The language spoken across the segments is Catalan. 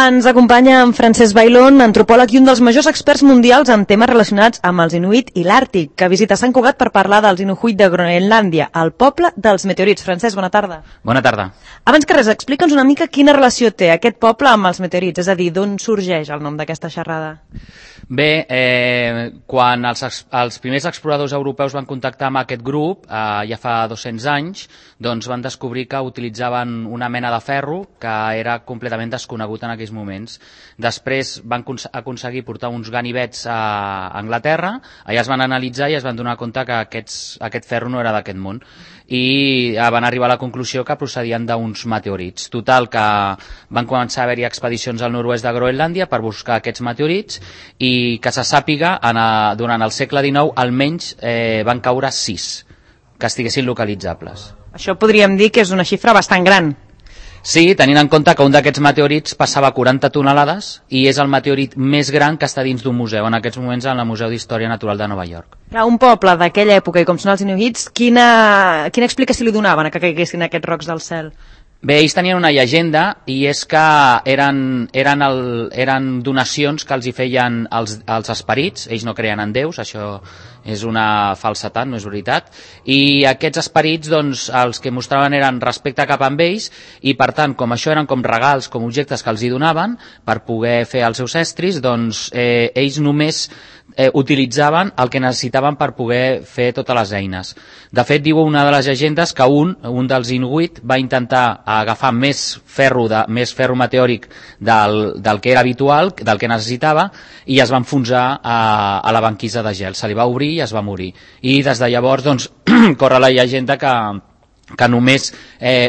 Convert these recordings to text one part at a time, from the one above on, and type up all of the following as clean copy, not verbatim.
Ens acompanya en Francesc Bailón, antropòleg i un dels majors experts mundials en temes relacionats amb els Inuit i l'Àrtic, que visita Sant Cugat per parlar dels Inuit de Groenlàndia, el poble dels meteorits. Francesc, bona tarda. Bona tarda. Abans que res, explica'ns una mica quina relació té aquest poble amb els meteorits, és a dir, d'on sorgeix el nom d'aquesta xerrada? Bé, quan els primers exploradors europeus van contactar amb aquest grup, ja fa 200 anys, doncs van descobrir que utilitzaven una mena de ferro que era completament desconegut en aquells moments. Després van aconseguir portar uns ganivets a Anglaterra, allà es van analitzar i es van donar compte que aquest ferro no era d'aquest món i van arribar a la conclusió que procedien d'uns meteorits. Total, que van començar a haver-hi expedicions al nord-oest de Groenlàndia per buscar aquests meteorits i que se sàpiga, durant el segle XIX almenys van caure 6 que estiguessin localitzables. Això podríem dir que és una xifra bastant gran. Sí, tenint en compte que un d'aquests meteorits passava 40 tonelades i és el meteorit més gran que està dins d'un museu, en aquests moments en el Museu d'Història Natural de Nova York. Un poble d'aquella època, i com són els inuits, quina explicació li donaven a que caiguessin aquests rocs del cel? Bé, ells tenien una llegenda i és que eren donacions que els hi feien els esperits. Ells no creien en déus, això és una falsetat, no és veritat, i aquests esperits, doncs, els que mostraven eren respecte cap amb ells i per tant, com això eren com regals, com objectes que els hi donaven per poder fer els seus estris, doncs ells només utilitzaven el que necessitaven per poder fer totes les eines. De fet, diu una de les llegendes que un dels Inuit va intentar agafar més ferro meteòric del que era habitual, del que necessitava, i es va enfonsar a la banquisa de gel. Se li va obrir i es va morir. I des de llavors, doncs, corre la llegenda que només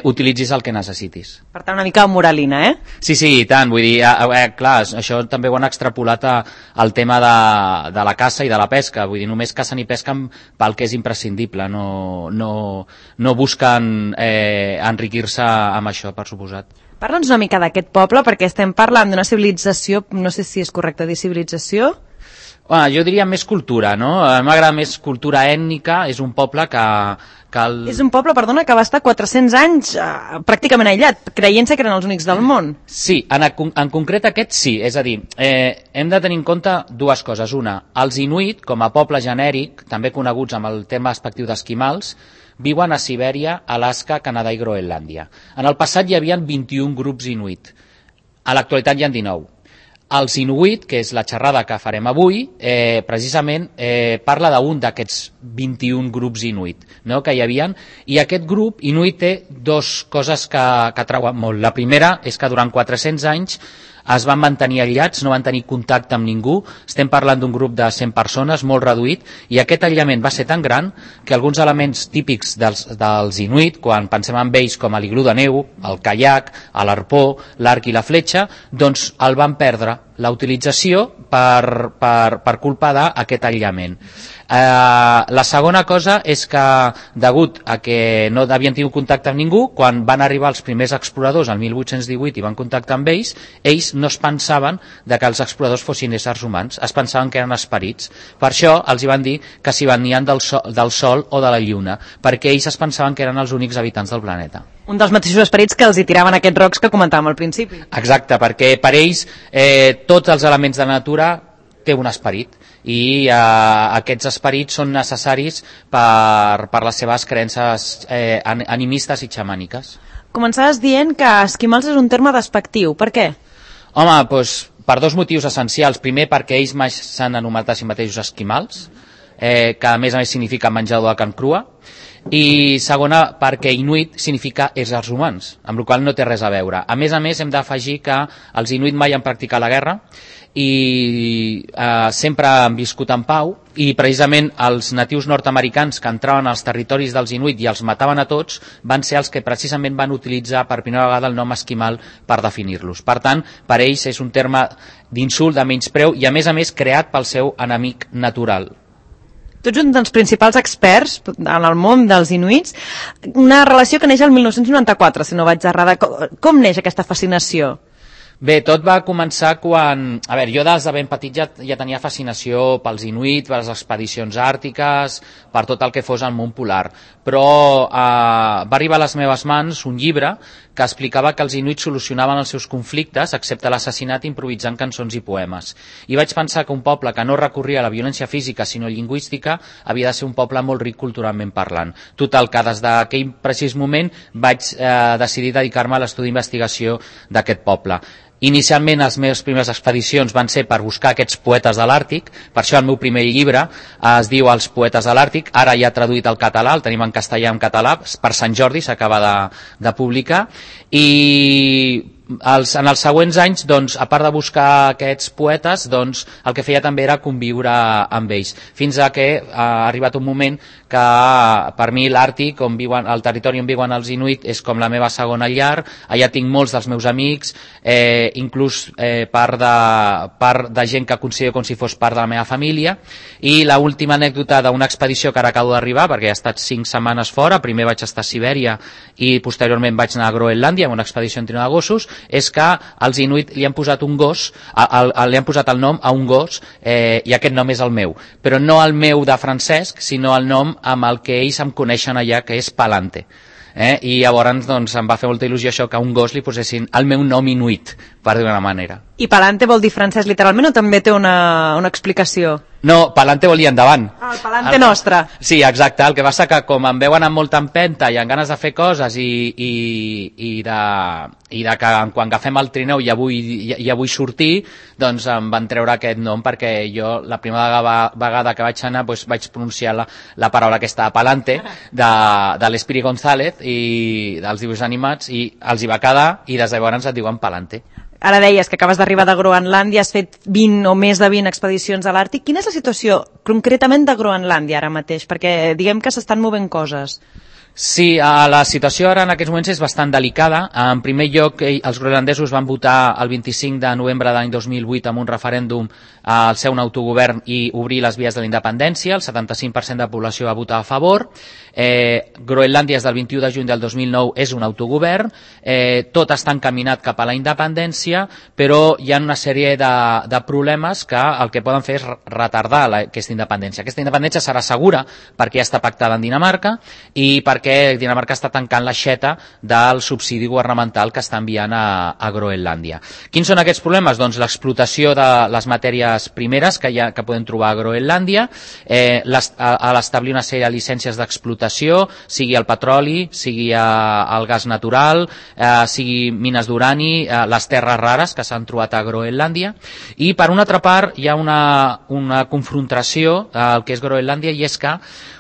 utilitzis el que necessitis. Per tant, una mica moralina, eh? Sí, i tant. Vull dir, clar, això també ho han extrapolat al tema de la caça i de la pesca. Vull dir, només cacen i pesquen pel que és imprescindible. No busquen enriquir-se amb això, per suposat. Parla'ns una mica d'aquest poble, perquè estem parlant d'una civilització, no sé si és correcte dir civilització. Jo diria més cultura, no? A mi m'agrada més cultura ètnica, és un poble que És un poble, perdona, que va estar 400 anys pràcticament aïllat, creient-se que eren els únics del món. Sí, en concret aquest sí, és a dir, hem de tenir en compte dues coses. Una, els Inuit, com a poble genèric, també coneguts amb el terme despectiu d'esquimals, viuen a Sibèria, Alaska, Canadà i Groenlàndia. En el passat hi havia 21 grups Inuit, a l'actualitat hi ha 19. Els Inuit, que és la xerrada que farem avui, precisament parla d'un d'aquests 21 grups Inuit, no?, que hi havia, i aquest grup Inuit té dues coses que treuen molt. La primera és que durant 400 anys es van mantenir aïllats, no van tenir contacte amb ningú. Estem parlant d'un grup de 100 persones, molt reduït, i aquest aïllament va ser tan gran que alguns elements típics dels Inuit, quan pensem en ells com a l'iglú de neu, el caiac, l'arpó, l'arc i la fletxa, doncs el van perdre la utilització per culpa d'aquest aïllament. La segona cosa és que, degut a que no havien tingut contacte amb ningú, quan van arribar els primers exploradors el 1818 i van contactar amb ells no es pensaven que els exploradors fossin éssers humans, es pensaven que eren esperits. Per això els hi van dir que s'hi venien del Sol o de la Lluna, perquè ells es pensaven que eren els únics habitants del planeta. Un dels mateixos esperits que els hi tiraven aquests rocs que comentàvem al principi. Exacte, perquè per ells tots els elements de la natura té un esperit i aquests esperits són necessaris per les seves creences animistes i xamàniques. Començaves dient que esquimals és un terme despectiu. Per què? Home, doncs per dos motius essencials. Primer, perquè ells mai s'han anomenat a si mateixos esquimals, que a més significa menjador de carn crua, i segona, perquè Inuit significa éssers humans, amb la qual cosa no té res a veure. A més, hem d'afegir que els Inuit mai han practicat la guerra i sempre han viscut en pau, i precisament els natius nord-americans que entraven als territoris dels Inuit i els mataven a tots van ser els que precisament van utilitzar per primera vegada el nom esquimal per definir-los. Per tant, per ells és un terme d'insult, de menyspreu i a més creat pel seu enemic natural. Tu ets un dels principals experts en el món dels inuits, una relació que neix el 1994, si no vaig errada. Com neix aquesta fascinació? Bé, tot va començar quan... A veure, jo des de ben petit ja tenia fascinació pels inuit, per les expedicions àrtiques, per tot el que fos el món polar. Però va arribar a les meves mans un llibre que explicava que els inuits solucionaven els seus conflictes, excepte l'assassinat, improvisant cançons i poemes. I vaig pensar que un poble que no recorria a la violència física sinó lingüística havia de ser un poble molt ric culturalment parlant. Total, que des d'aquell precís moment vaig decidir dedicar-me a l'estudi d'investigació d'aquest poble. Inicialment les meves primeres expedicions van ser per buscar aquests poetes de l'Àrtic, per això el meu primer llibre es diu Els poetes de l'Àrtic, ara ja traduït al català, el tenim en castellà i en català, per Sant Jordi s'acaba de publicar, i en els següents anys, doncs, a part de buscar aquests poetes, doncs, el que feia també era conviure amb ells, fins a que ha arribat un moment que per mi l'Àrtic, el territori on viuen els inuit, és com la meva segona llar. Allà tinc molts dels meus amics, inclús part de gent que considero com si fos part de la meva família. I l'última anècdota d'una expedició que ara acabo d'arribar, perquè he estat 5 setmanes fora, primer vaig estar a Sibèria i posteriorment vaig anar a Groenlàndia amb una expedició en trio de gossos, és que els inuit li han posat un gos, li han posat el nom a un gos, i aquest nom és el meu, però no el meu de Francesc, sinó el nom amb el que ells em coneixen allà, que és Palante. I llavors doncs, em va fer molta il·lusió això, que a un gos li posessin el meu nom inuit, per d'una manera. I Palante vol dir francès literalment o també té una explicació? No, Palante vol dir endavant. El Palante nostre. Sí, exacte. El que passa que com em veuen amb molta empenta i amb ganes de fer coses i de que quan agafem el trineu ja vull sortir, doncs em van treure aquest nom perquè jo la primera vegada que vaig anar doncs vaig pronunciar la paraula aquesta Palante de l'Espiri González i dels dibuixos animats i els hi va quedar i des de llavors et diuen Palante. Ara deies que acabes d'arribar de Groenlàndia, has fet 20 o més de 20 expedicions a l'Àrtic. Quina és la situació concretament de Groenlàndia ara mateix? Perquè diguem que s'estan movent coses. Sí, la situació ara en aquests moments és bastant delicada. En primer lloc, els groenlandesos van votar el 25 de novembre de l'any 2008 amb un referèndum al ser un autogovern i obrir les vies de la independència. El 75% de la població va votar a favor. Groenlàndia des del 21 de juny del 2009 és un autogovern. Tot està encaminat cap a la independència, però hi ha una sèrie de problemes que el que poden fer és retardar aquesta independència. Aquesta independència serà segura perquè ja està pactada en Dinamarca i perquè Dinamarca està tancant l'aixeta del subsidi governamental que està enviant a Groenlàndia. Quins són aquests problemes? Doncs l'explotació de les matèries primeres que podem trobar a Groenlàndia, a l'establir una sèrie de llicències d'explotació, sigui el petroli, sigui el gas natural, sigui mines d'urani, les terres rares que s'han trobat a Groenlàndia. I per una altra part hi ha una confrontació al que és Groenlàndia, i és que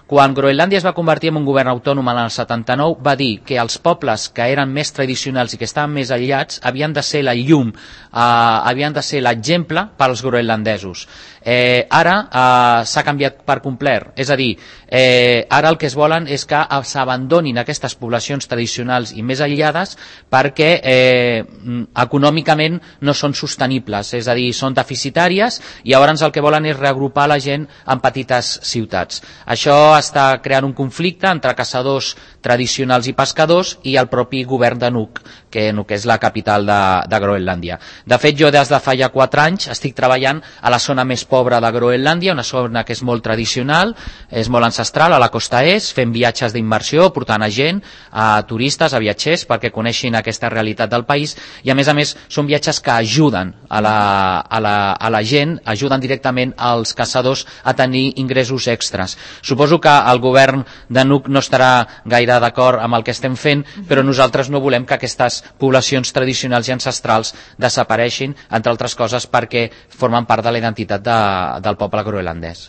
quan Groenlàndia es va convertir en un govern autònom en el 79, va dir que els pobles que eren més tradicionals i que estaven més aïllats havien de ser la llum, havien de ser l'exemple pels groenlandesos. Ara s'ha canviat per complet, és a dir, ara el que es volen és que s'abandonin aquestes poblacions tradicionals i més aïllades perquè econòmicament no són sostenibles, és a dir, són deficitàries, i llavors el que volen és reagrupar la gent en petites ciutats. Això està creant un conflicte entre caçadors tradicionals i pescadors i el propi govern de Nuuk, que és la capital de Groenlàndia. De fet, jo des de fa ja 4 anys estic treballant a la zona més pobra de Groenlàndia, una zona que és molt tradicional, és molt ancestral, a la costa est, fent viatges d'immersió, portant a gent, a turistes, a viatgers, perquè coneixin aquesta realitat del país, i a més són viatges que ajuden a la gent, ajuden directament als caçadors a tenir ingressos extras. Suposo que el govern de Nuuk no estarà gaire d'acord amb el que estem fent, però nosaltres no volem que aquestes poblacions tradicionals i ancestrals desapareixin, entre altres coses perquè formen part de la identitat del poble groenlandès.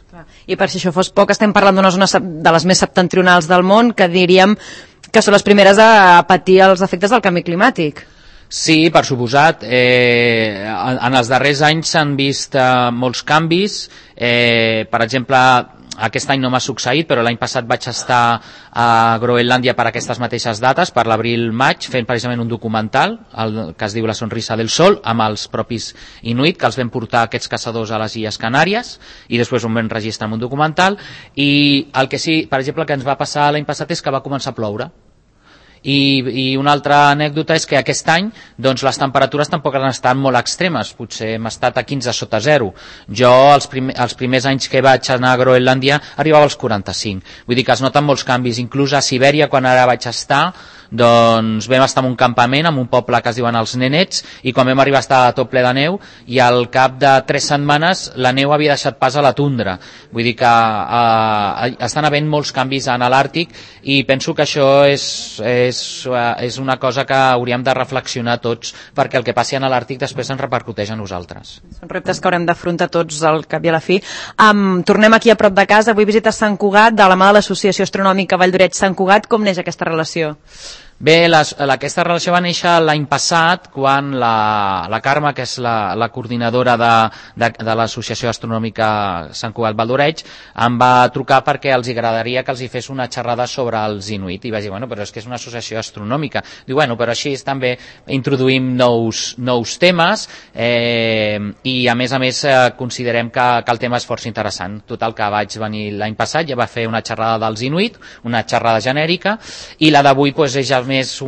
I per si això fos poc, estem parlant d'una zona de les més septentrionals del món, que diríem que són les primeres a patir els efectes del canvi climàtic. Sí, per suposat. En els darrers anys s'han vist molts canvis. Per exemple, aquest any no m'ha succeït, però l'any passat vaig estar a Groenlàndia per aquestes mateixes dates, per l'abril-maig, fent precisament un documental que es diu La sonrisa del sol, amb els propis inuit, que els vam portar aquests caçadors a les Illes Canàries, i després ho vam registrar en un documental. I el que sí, per exemple, que ens va passar l'any passat és que va començar a ploure. I una altra anècdota és que aquest any doncs, les temperatures tampoc han estat molt extremes, potser hem estat a 15 sota 0. Jo els primers anys que vaig anar a Groenlàndia arribava als 45, vull dir que es noten molts canvis, inclús a Sibèria quan ara vaig estar doncs vam estar en un campament, en un poble que es diuen els Nenets, i quan vam arribar estava tot ple de neu, i al cap de 3 setmanes la neu havia deixat pas a la tundra. Vull dir que estan havent molts canvis en l'Àrtic, i penso que això és una cosa que hauríem de reflexionar tots, perquè el que passi a l'Àrtic després ens repercuteix a nosaltres. Són reptes que haurem d'afrontar tots al cap i a la fi. Tornem aquí a prop de casa, avui visites Sant Cugat, de la mà de l'Associació Astronòmica Vall d'Oreig Sant Cugat. Com neix aquesta relació? Bé, aquesta relació va néixer l'any passat quan la Carme, que és la coordinadora de l'Associació Astronòmica Sant Cugat Vall d'Oreig, em va trucar perquè els agradaria que els hi fes una xerrada sobre els inuit, i vaig dir, bueno, però és que és una associació astronòmica. Diu, bueno, però així també introduïm nous temes, i a més considerem que el tema és força interessant. Total, que vaig venir l'any passat, ja va fer una xerrada dels inuit, una xerrada genèrica, i la d'avui és ja més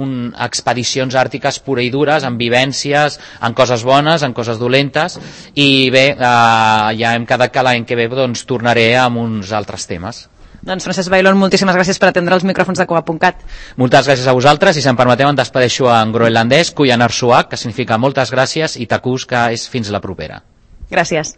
expedicions àrtiques pura i dures, amb vivències, en coses bones, en coses dolentes, i bé, ja hem quedat que l'any que ve doncs tornaré amb uns altres temes. Doncs Francesc Bailón, moltíssimes gràcies per atendre els micròfons de Cugat.cat. Moltes gràcies a vosaltres, i si em permeteu em despedeixo en groenlandès, Kuyanar Suak, que significa moltes gràcies, i Takus, que és fins la propera. Gràcies.